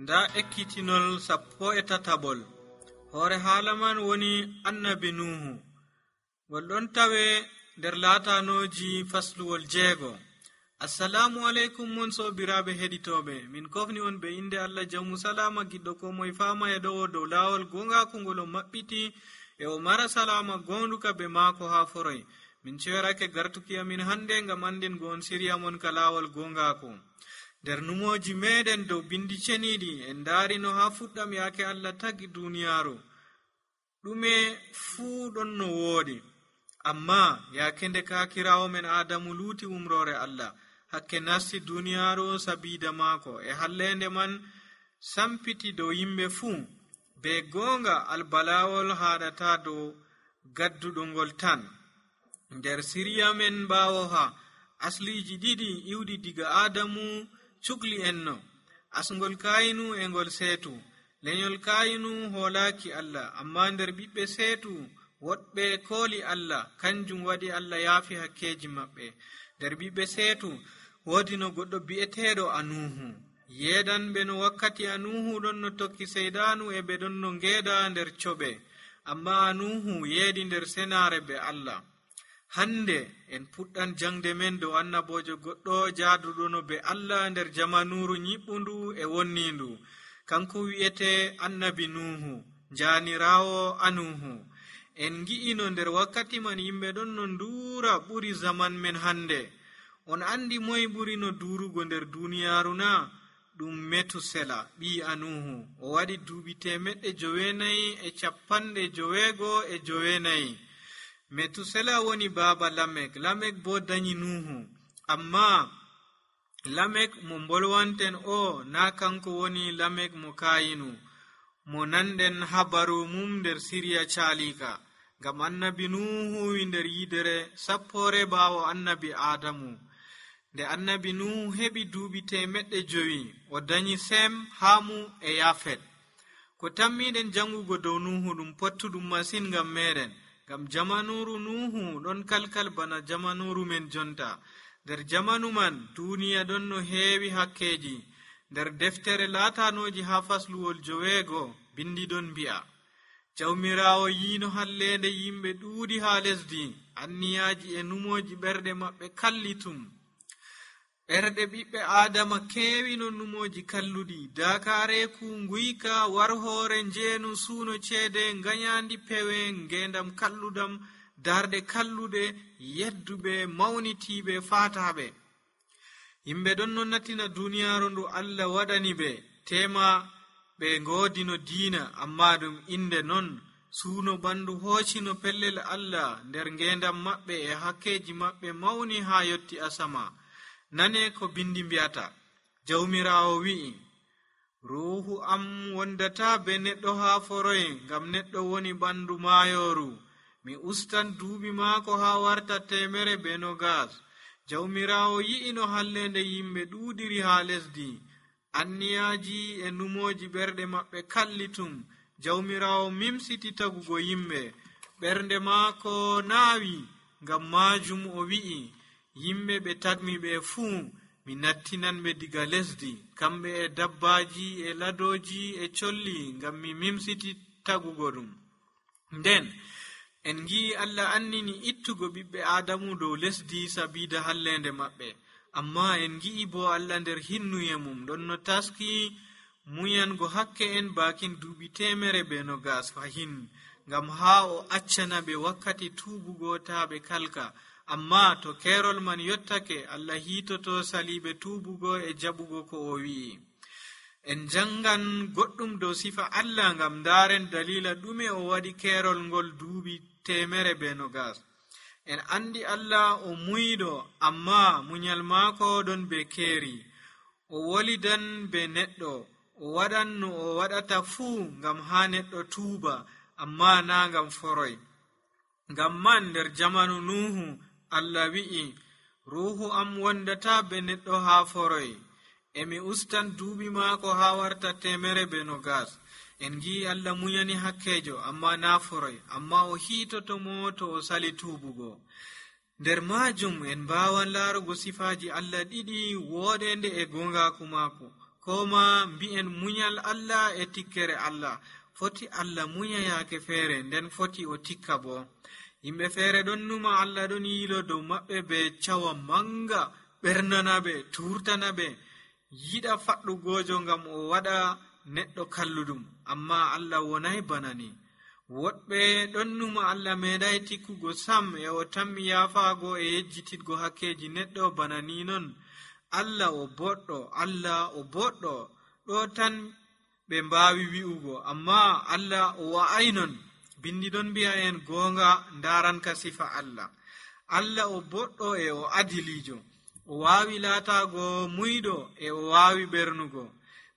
nda ekkitinol 13 hoore haala man woni annabi nuhu. ngol ɗon tawe nder laatanoji fasluwol 6. assalamu aleykum mon sobiraɓe heɗitoɓe, min kofni on be inde allah jawmu salama giɗɗo ko moye fama e ɗowo dow lawol gongaku ngol o maɓɓiti e o mara salama gonduka be maako ha foroy. min ceerake gartuki amin hande ngam anden go on siriya mon ka lawol gongaku. nder numoji meɗen dow bindi ceniɗi en darino ha fuɗɗam yake allah tagi duniyaru ɗume fuu ɗon no woodi, amma yake nde kakirawo men adamu luuti umrore allah hakke nasti duniyaru sabida maako e hallende man sampiti dow yimɓe fuu. be gonga albalawol haɗata dow gadduɗo ngol tan. nder siriya men bawo ha asliji ɗiɗi iwɗi diga adamu cukli enno, asngol kayinu e ngol seetu. lenyol kayinu hoolaki allah, amma nder ɓiɓɓe seetu woɗɓe kooli allah, kanjum waɗi allah yaafi hakkeji maɓɓe. nder ɓiɓɓe seetu woodi no goɗɗo bi'eteɗo anuhu. yeedanɓe no wakkati anuhu ɗon no tokki seydanu e ɓe ɗon no ngeeda nder coɓe, amma anuhu yeedi nder senare be allah. hande en puɗɗan jangde men dow annabojo goɗɗo jaaduɗo no be allah nder jamanuru nyiɓɓundu e wonnindu. kanko wi'ete annabi nuhu, janirawo anuhu. en gi'ino nder wakkati man yimɓe ɗon no nduura ɓuri zaman men hande. on andi moye ɓuri no durugo nder duniyaru na? ɗum metusela ɓi anuhu. o waɗi duuɓi 994. metusela woni baaba lamek. lamek bo dañi nuhu. amma lamek mo bolwanten o na kanko woni lamek mo kayinu, mo nanɗen habaru mum nder siriya caalika. ngam annabi nuhu wi nder yidere 10 bawo annabi adamu. nde annabi nuhu heɓi duuɓi 500 o dañi sem, hamu e yafet. ko tammiɗen jangugo dow nuhu ɗum pottuɗum masin ngam meɗen, ngam jamanuru nuhu ɗon kalkal bana jamanuru men jonta. nder jamanu man duniya ɗon no heewi hakkeji. nder deftere laatanoji ha fasluwol 9 bindi ɗon mbi'a, jawmirawo yiino hallende yimɓe ɗuuɗi ha lesdi, anniyaji e numoji ɓerɗe maɓɓe kallitum. ɓerɗe ɓiɓɓe adama keewino numoji kalluɗi, dakareku, nguyka, warhore, njeenu, suuno ceede, nganyandi pewe, ngendam kalludam, darde kalluɗe, yedduɓe, mawnitiɓe, fataɓe. yimɓe ɗon no natina duniyaru ndu allah waɗani ɓe tema ɓe godino diina, amma ɗum inde non suuno bandu hoocino pellel allah nder ngendam maɓɓe e hakkeji maɓɓe mawni ha yotti asama. nane ko bindi mbiyata, jawmirawo wi'i, ruhu am wondata be neɗɗo ha foroy, ngam neɗɗo woni ɓandu maayoru. mi ustan duuɓi maako ha warta 120. jawmirawo yi'ino hallende yimɓe ɗuuɗiri ha lesdi, anniyaji e numoji ɓerɗe maɓɓe kallitum. jawmirawo mimsiti tagugo yimɓe, ɓernde maako naawi. ngam majum o wi'i, yimɓe ɓe tagmi ɓe fuu mi nattinanɓe diga lesdi, kamɓe e dabbaji e ladoji e colli, ngam mi mimsiti tagugo ɗum. nden en gi'i allah annini ittugo ɓiɓɓe adamu dow lesdi sabida hallende maɓɓe, amma en gi'i bo allah nder hinnuye mum ɗon no taski muyango hakke en bakin duuɓi 120 fahin, ngam ha o accana ɓe wakkati tubugo ta ɓe kalka. amma to kerol man yottake, allah hitoto saliɓe tubugo e jaɓugo ko o wi'i. en jangan goɗɗum dow sifa allah ngam daren dalila ɗume o waɗi kerol ngol duuɓi 120. en andi allah o muyɗo, amma munyal maako ɗon be keeri. o wolidan be neɗɗo, o waɗan no o waɗata fuu ngam ha neɗɗo tuuba, amma na ngam foroy. ngam man nder jamanu nuhu allah wi'i, ruhu am wondata be neɗɗo ha foroy, emi ustan duuɓi maako ha warta 120. en gi'i allah munyani hakkejo, amma na foroy, amma o hiitotomo to o sali tuubugo. nder majum en mbawan laarugo sifaji allah ɗiɗi woɗende e gongaku maako. ko ma mbi'en munyal Allah e tikkere Allah. Foti Allah munya yaake feere, nden foti o tikka bo. Yimɓe feere ɗon numa Allah ɗon yiilo dow maɓɓe be cawa manga, ɓernana ɓe, turtana ɓe, yiɗa faɗɗugojo ngam o waɗa neɗɗo kalluɗum. Amma Allah wonay bana ni. Woɗɓe ɗon numa Allah meeɗay tikkugo sam, e o tammi yaafaago e yejjititgo hakkeji neɗɗo bana ni non. Allah o boɗɗo, Allah o boɗɗo, ɗo tan ɓe mbaawi wi'ugo, amma Allah o wa'ay non. Bindi ɗon mbi'a en goonga ndaranka sifa Allah. Allah o boɗɗo e o adilijo, o waawi laataago muyɗo e o waawi ɓernugo.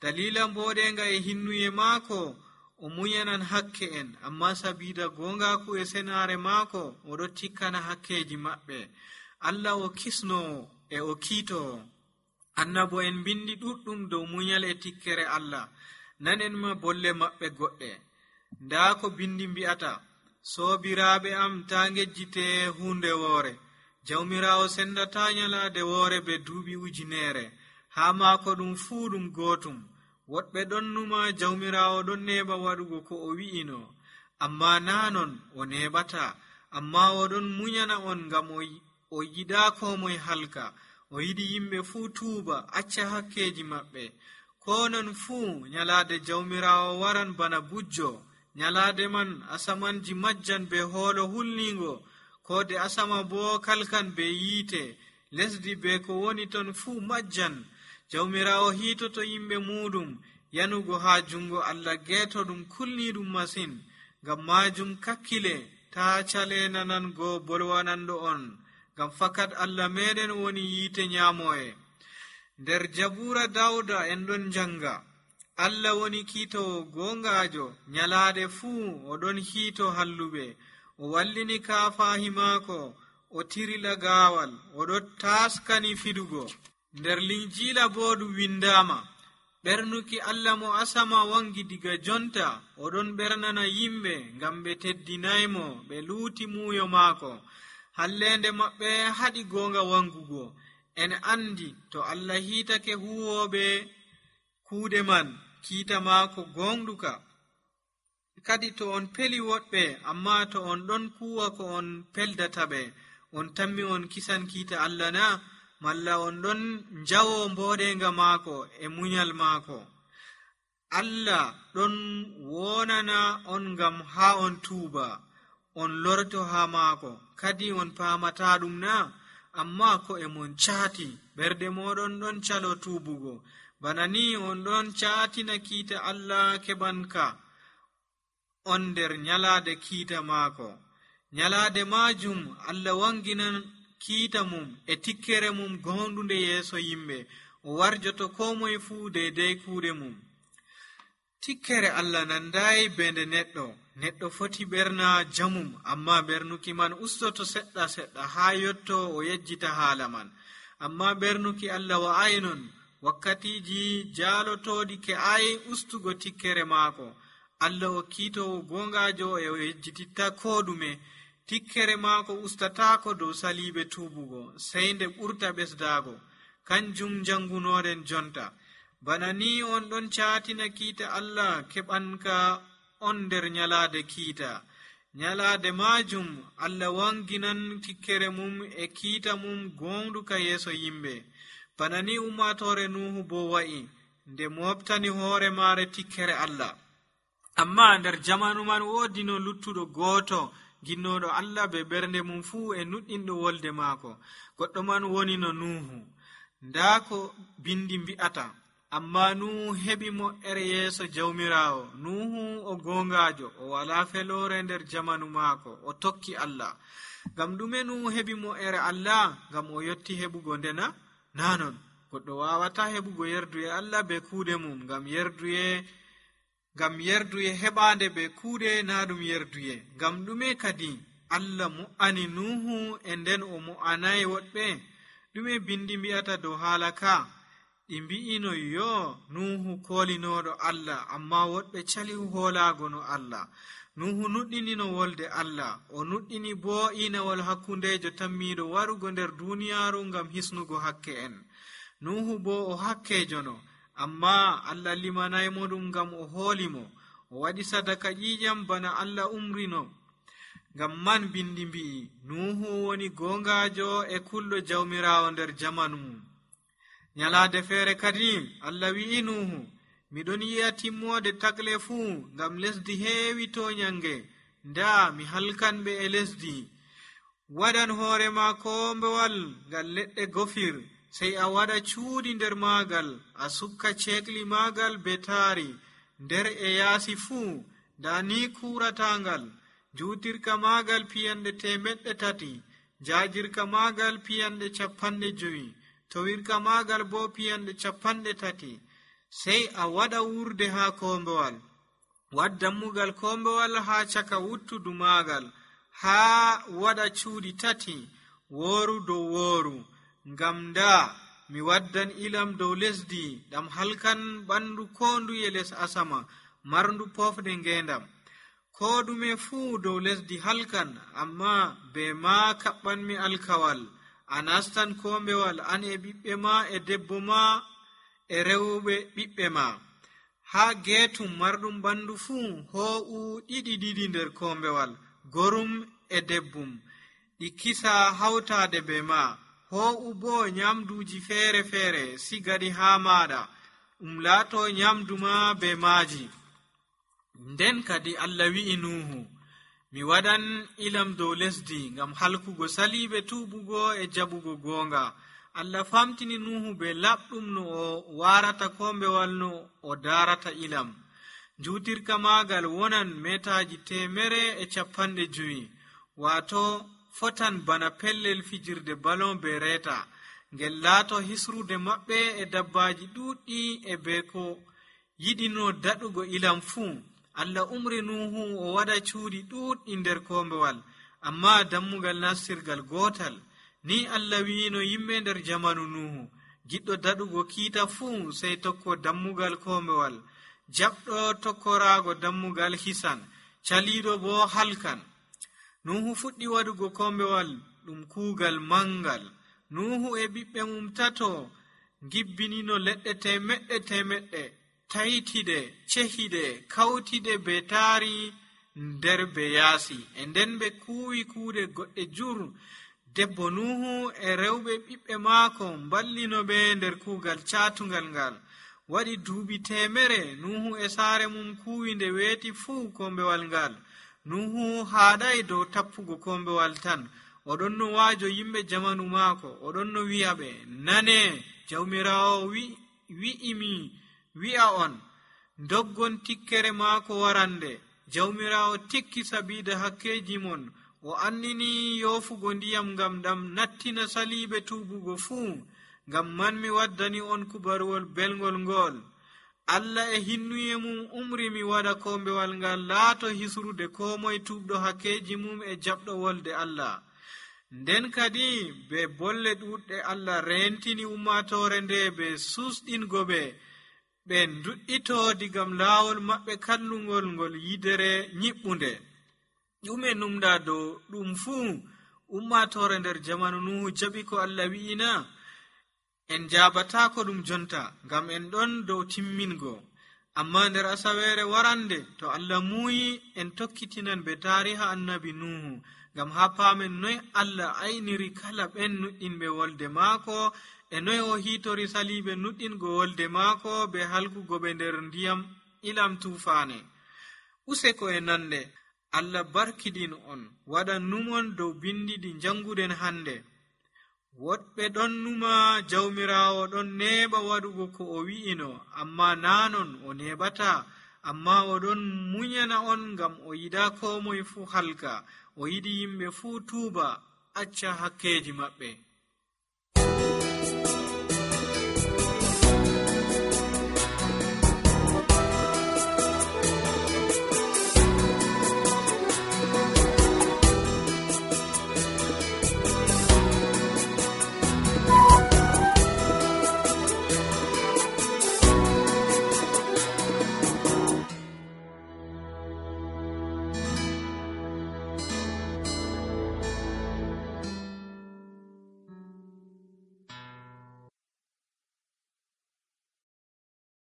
Dalila mboɗenga e hinnuye maako o munyanan hakke en, amma sabida gongaku e senare maako oɗo tikkana hakkeji maɓɓe. Allah o kisnowo e o kiitowo. Annabo en bindi ɗuɗɗum dow munyal e tikkere Allah. Nanen ma bolle maɓɓe goɗɗe. Nda ko bindi mbi'ata, soobiraaɓe am ta ngejjite hunde woore. Jawmirawo sendata nyalade woore be duuɓi ujunere. Ha maako ɗum fuu ɗum gootum. Woɗɓe ɗon numa jawmirawo ɗon neɓa waɗugo ko o wi'ino, amma nanon o neɓata. Amma oɗon munyana on ngam o yiɗa ko moye halka. O yiɗi yimɓe fuu tuuba, acca hakkeji maɓɓe. Ko non fuu nyalade jawmirawo waran bana bujjo. Nyalade man asamanji majjan be hoolo hulningo, kode asama bo kalkan be yiite, lesdi be ko woni ton fuu majjan. Jawmirawo hiitoto yimɓe muɗum yanugo ha jungo Allah geeto ɗum kulniɗum masin. Ngam majum kakkile ta cale nanango bolwananɗo on, ngam fakat Allah meɗen woni yiite nyamoye. Nder Jabura Dawda en ɗon janga, Allah woni kiitowo gongajo, nyalade fuu oɗon hiito halluɓe. O wallini kaafahi maako, o tirila gaawal, oɗo taskani fidugo. Nder Linjila bo ɗum windama, ɓernuki Allah mo asama wangi diga jonta, oɗon ɓernana yimɓe ngam ɓe teddinaymo, ɓe luuti muuyo maako. Hallende maɓɓe haɗi gonga wangugo. En andi to Allah hiitake huwoɓe kuuɗe man, kiita maako gonɗuka. Kadi to on peli woɗɓe, amma to on ɗon kuwa ko on peldata ɓe, on tammi on kisan kiita Allah na? Malla on ɗon njawo mboɗenga maako e munyal maako. Allah ɗon wonana on ngam ha on tuuba, on lorto ha maako, kadi on paamata ɗum na? Amma ko e mon caati, ɓerde moɗon ɗon calo tuubugo. Bana ni on ɗon caatina kiita Allah keɓanka on nder nyalade kiita maako. Nyalade majum Allah wanginan kiita mum e tikkere mum gonɗunde yeeso yimɓe, o warjoto ko moye fuu deydey kuuɗe mum. Tikkere Allah nandayi bende neɗɗo foti ɓerna jamum, amma ɓernuki man ustoto seɗɗa seɗɗa ha yotto o yejjita haala man. Amma ɓernuki Allah wa'ay non, wakkatiji jaalotoɗi ke ay ustugo tikkere maako. Allah o kiitowo gongajo e o yejjititta ko ɗume. Tikkere maako ustatako dow salibe tuubugo, sey nde ɓurta ɓesdago. Kanjum jangunoɗen jonta. Bana ni on ɗon caatina kiita Allah keɓanka on nder nyalade kiita. Nyalade majum Allah wanginan tikkere mum e kiita mum gonɗuka yeeso yimɓe. Bana ni ummatore Nuhu bo wa'i, nde moftani hoore maare tikkere Allah. Amma nder jamanu man woodi no luttuɗo gooto ginnoɗo Allah be ɓernde mum fuu e nuɗɗinɗo wolde maako. Goɗɗo man woni no Nuhu. Nda ko bindi mbi'ata, amma Nuhu heɓi mo'ere yeeso jawmirawo. Nuhu o gongajo, o wala felore nder jamanu maako, o tokki Allah. Ngam ɗume Nuhu heɓi mo'ere Allah? Ngam o yotti heɓugo ndena? Nanon, goɗɗo wawata heɓugo yerduye Allah be kuuɗe mum, ngam yerduye heɓande be kuuɗe na ɗum yerduye. Ngam ɗume kadi Allah mu'ani Nuhu e nden o mu'anayi woɗɓe? Ɗume bindi mbi'ata dow haala ka? Ɗi mbi'ino yo Nuhu kolinoɗo Allah, amma woɗɓe cali hoolago no Allah. Nuhu nuɗɗini no wolde Allah, o nuɗɗini bo inawol hakkundejo tammiɗo warugo nder duniyaaru ngam hisnugo hakke en. Nuhu bo o hakkejo no, amma Allah limanaymo ɗum ngam o hoolimo, o waɗi sadaka ƴiƴam bana Allah umrino. Ngam man bindi mbi'i Nuhu woni gongajo e kulɗo jawmirawo nder jamanu mum. Nyalade feere kadi Allah wi'i Nuhu, miɗon yi'a timmode tagle fuu ngam lesdi heewi toñange, nda mi halkanɓe e lesdi. Waɗan hoorema kombewal ngal leɗɗe gofir, sey a waɗa cuuɗi nder maagal, a sukka ceekli maagal be taari, nder e yaasi fuu, nda ni kuuratangal. Juutirka maagal piyanɗe 300, jaajirka maagal piyanɗe 50, towirka maagal bo piyanɗe 30. Sey a waɗa wurde haa kombewal. Wad dammugal kombewal haa caka wuttudu maagal, haa waɗa cuuɗi 3, wooru dow wooru. Ngam nda mi waddan ilam dow lesdi ɗam halkan ɓandu ko nduye les asama marndu pofde ngendam. Ko ɗume fuu dow lesdi halkan, amma be ma kaɓɓanmi alkawal. A nastan kombewal an e ɓiɓɓe ma e debbo ma e rewɓe ɓiɓɓe ma. Haa geetum marɗum ɓandu fuu hoo'u ɗiɗi nder kombewal, gorum e debbum, ɗi kisa hawtaade be ma. Hoo'u bo nyamduuji feere-feere sigaɗi haa maɗa, laato nyamdu ma be maaji. Nden kadi Allah wi'i Nuhu, mi waɗan ilam dow lesdi ngam halkugo saliiɓe tuubugo e jaɓugo goonga. Allah famtini Nuhu be laɓɗum no o warata kombewal no o darata ilam. Juutirka maagal wonan metaji 150, wato fotan bana pellel fijirde balon be reeta, ngel laato hisrude maɓɓe e dabbaji ɗuɗɗi e be ko yiɗino daɗugo ilam fuu. Allah umri Nuhu o waɗa cuuɗi ɗuɗɗi nder kombewal, amma dammugal nastirgal gotal. Ni Allah wi'ino yimɓe nder jamanu Nuhu, giɗɗo daɗugo kiita fuu sey tokko dammugal kombewal, jaɓɗo tokkoraago dammugal hisan, caliiɗo bo halkan. Nuhu fuɗɗi waɗugo kombewal ɗum kuugal mangal. Nuhu e ɓiɓɓe mum 3 gibbinino leɗɗe 100, taytiɗe, cehiɗe, kawtiɗe be taari nder be yaasi, e nden ɓe kuuwi kuuɗe goɗɗe jur. Debbo Nuhu e rewɓe ɓiɓɓe maako mballino ɓe nder kuugal caatungal ngal. Waɗi duuɓi 100 Nuhu e saare mum kuuwi nde weeti fuu kombewal ngal. Nuhu haaɗay dow tappugo kombewal tan, oɗon no waajo yimɓe jamanu maako, oɗon no wi'a ɓe, nane jawmirawo wi'imi wi'a on, doggon tikkere maako warande. Jawmirawo tikki sabiida hakkeji mon, o annini yoofugo ndiyam ngam ɗam nattina saliiɓe tuubugo fuu. Ngam man mi waddani on kubaruwol belgol ngol. Allah e hinnuye mum umri mi waɗa kombewal ngal laato hisrude ko moye tuubɗo hakkeji mum e jaɓɗo wolde Allah. Nden kadi be bolle ɗuɗɗe Allah rentini ummatore nde be susɗingo ɓe nduɗɗito digam laawol maɓɓe kallungol ngol yidere nyiɓɓunde. Ɗume numɗa dow ɗum fuu ummatore nder jamanu Nuhu jaɓi ko Allah wi'ina? En jabatako ɗum jonta, ngam en ɗon dow timmingo. Amma nder asaweere warande, to Allah muuyi, en tokkitinan be taariha annabi Nuhu, ngam ha paamen noy Allah ayniri kala ɓen nuɗɗinɓe wolde maako, e noy o hiitori saliiɓe nuɗɗingo wolde maako be halkugo ɓe nder ndiyam ilam tuufaane. Useko e nande, Allah barkidin on, waɗan numon dow bindi ɗi janguɗen hande. Woɗɓe ɗon numa jawmirawo ɗon neeɓa waɗugo ko o wi'ino, amma nanon o neeɓata, amma oɗon munyana on ngam o yiɗa ko moye fuu halka, o yiɗi yimɓe fuu tuuba acca hakkeji maɓɓe.